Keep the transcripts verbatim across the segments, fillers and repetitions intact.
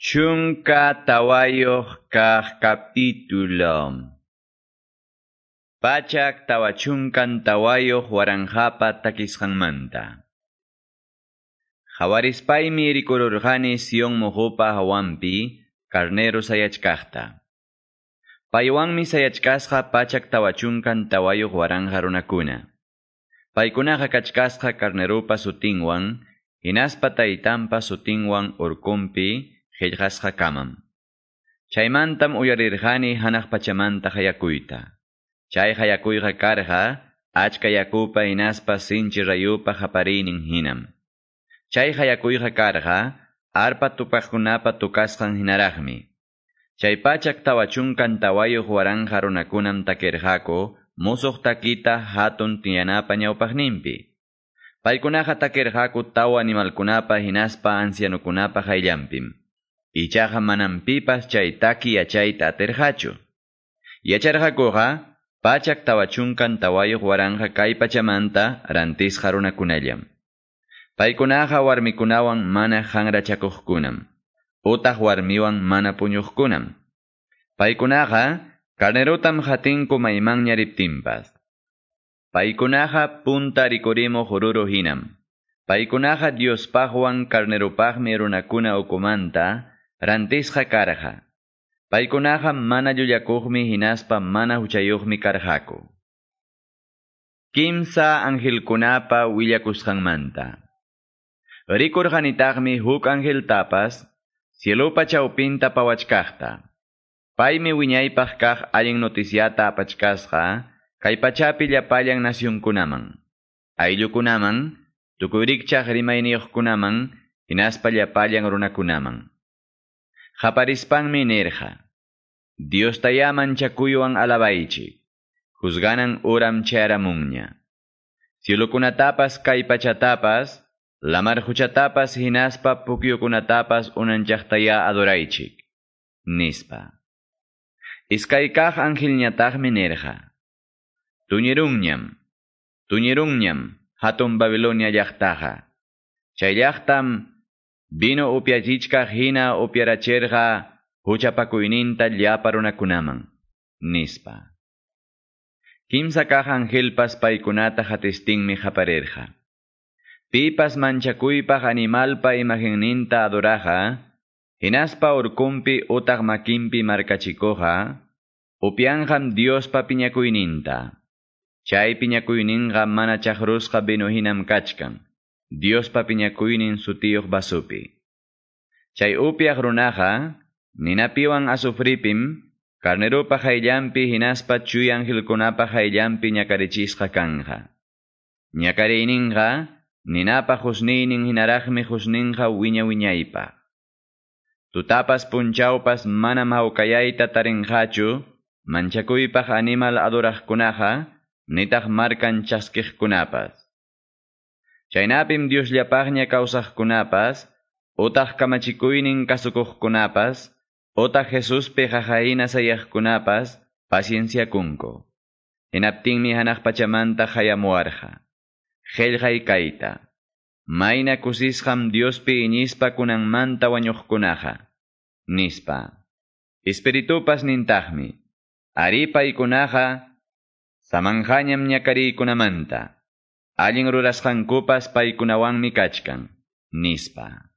Chunka tawayuq kaq capítulo. Pachak tawachunkan tawayuq waranqapa takisqanmanta. Qhawarispaymi rikururqani Sion muqupa hawanpi carnero sayachkaqta. Paywanmi sayachkasqa pachak tawachunkan tawayuq waranqa runakuna. Paykunaqa kachkasqa carneropa sutinwan, hinaspa taytanpa sutinwan urkunpi qillqasqa kamam. Chaymantam uyarirqani hanaq pachamanta qayakuyta. Chay qayakuyqa karqa achka yakupa hinaspa sinchi rayupa qapariynin hinam. Chay qayakuyqa karqa arpa tupaqkunapa tukasqan hinaraqmi. Chay pachak tawachunkan tawayuq waranqa runakunam takirqaku musuq takita hatun tiyanapa ñawpaqninpi. Paykunaqa takirqaku tawa animalkunapa hinaspa ancianukunapa qayllanpim. Ichaqa manam pipas chay taki yachayta atirqachu. Yacharqakuqa pachak tawachunkan tawayuq waranqa kay pachamanta rantisqa runakunallam. Paykunaqa warmikunawan mana hanrachakuqkunam, utaq warmiwan mana puñuqkunam. Paykunaqa carnerotam hatinku maymanña riptinpas. Paykunaqa punta rikurimuq ruru hinam. Paykunaqa Diospaqwan carneropaqmi runakuna ukumanta rantisqa karqa. Paykunaqa mana llullakuqmi hinaspa mana huchayuqmi karqaku. Kimsa angelkunapa willakusqanmanta. Rikurqanitaqmi huk angeltapas cielupa chawpinta pawachkaqta. Paymi wiñaypaq kaq allin noticiata apachkasqa kay pachapi llapallan nacionkunaman, ayllukunaman, tukuy rikchaq rimayniyuqkunaman, hinaspa llapallan runakunaman. Qaparispanmi nirqa: Diostayá manchakuywan alabaychik, juzganan uram chayaramunña. Cielukunatapas kay pachatapas, lamar quchatapas hinaspa pukyukunatapas unanchaqtayá adoraychik, nispa. Iskay kaq angelñataqmi nirqa: Tuñirunñam, tuñirunñam hatun Babilonia llaqtaqa. Chay llaqtam vino upyachichkaq hina upyarachirqa huchapakuyninta llapa runakunaman, nispa. Kimsa kaq angelpas paykunata hatistinmi qaparirqa: Pipas manchakuypaq animalpa imagenninta adoraqa, hinaspa urkunpi utaq makinpi markachikuqqa, upyanqam Diospa piñakuyninta. Chay piñakuyninqa mana chaqrusqa vino hinam kachkan, Diospa piñakuynin sutiyuq vasupi. Chay upyaq runaqa, ninapiwan azufripim, carneropa qayllanpi hinaspa chuya angelkunapa qayllanpi ñakarichisqa kanqa. Ñakariyninqa, ninapa husniynin hinaraqmi husninqa wiña wiñaypaq. Tutapas punchawpas manam hawkayayta tarinqachu, manchakuypaq animal adoraqkunaqa, nitaq markan chaskiqkunapas. Chaynapim Diosllapaqña kawsaqkunapas, utaq kamachikuynin kasukuqkunapas, utaq Jesuspi qaqahina sayaqkunapas pacienciakunku. Hinaptinmi hanaq pachamanta hayamuwarqa: Qillqay kayta. Mayna kusisqam Diospi iñispa kunanmanta wañuqkunaqa, nispa. Espiritupas nintaqmi: Ari paykunaqa samanqañam ñakariykunamanta. Allin rurasqankupas paykunawanmi kachkan, nispa.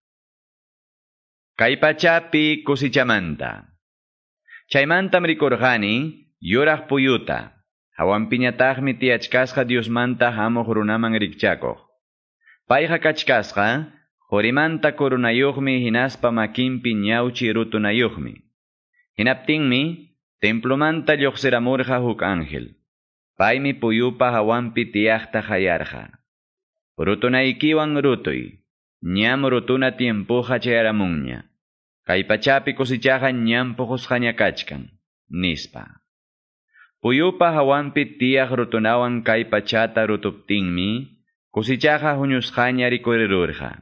Kay pachapi kusichamanta. Chaymantam rikurqani yuraq puyuta, hawanpiñataqmi tiyachkasqa Diosmanta hamuq runaman rikchakuq. Payqa kachkasqa qurimanta coronayuqmi hinaspa makinpi ñawchi rutunayuqmi. Hinaptinmi templomanta lluqsiramurqa huk ángel. Paymi puyupa hawanpi tiyaqta qayarqa: Rutunaykiwan rutuy, ñam rutuna tiempuqa chayaramunña. Kay pachapi kusichaqa ñam puqusqaña kachkan, nispa. Puyupa hawanpi tiyaq rutunawan kay pachata rutuptinmi, kusichaqa huñusqaña rikurirurqa.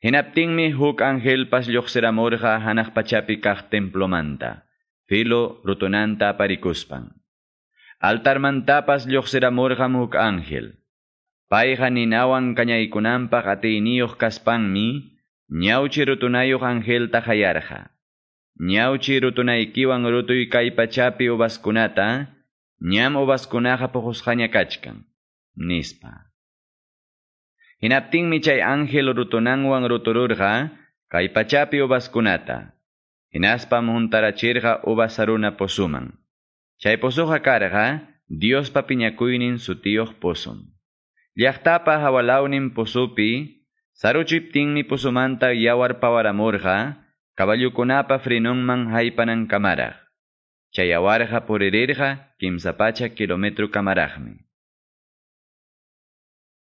Hinaptinmi huk angelpas lluqsiramurqa hanaq pachapi kaq templomanta, filo rutunanta aparikuspan. Altarmantapas lluqsiramurqam huk ángel. Payqa ninawan kañaykunanpaq atiyniyuq kaspanmi, ñawchi rutunayuq angelta qayarqa. Ñawchi rutunaykiwan rutuy kay pachapi uvaskunata, ñam uvaskunaqa puqusqaña kachkan, nispa. Hinaptinmi chay ángel rutunanwan rutururqa kay pachapi uvaskunata. Hinaspam huntarachirqa uvas saruna pozuman. Chay pozuqa karqa Diospa piñakuynin sutiyuq pozum. Llaqtapa hawalawnin pozupi saruchiptinmi pozumanta yawar pawaramurqa caballukunapa frenonman haypanankamaraq. Chay yawarqa puririrqa kimsa pachak kilometro kamaraqmi.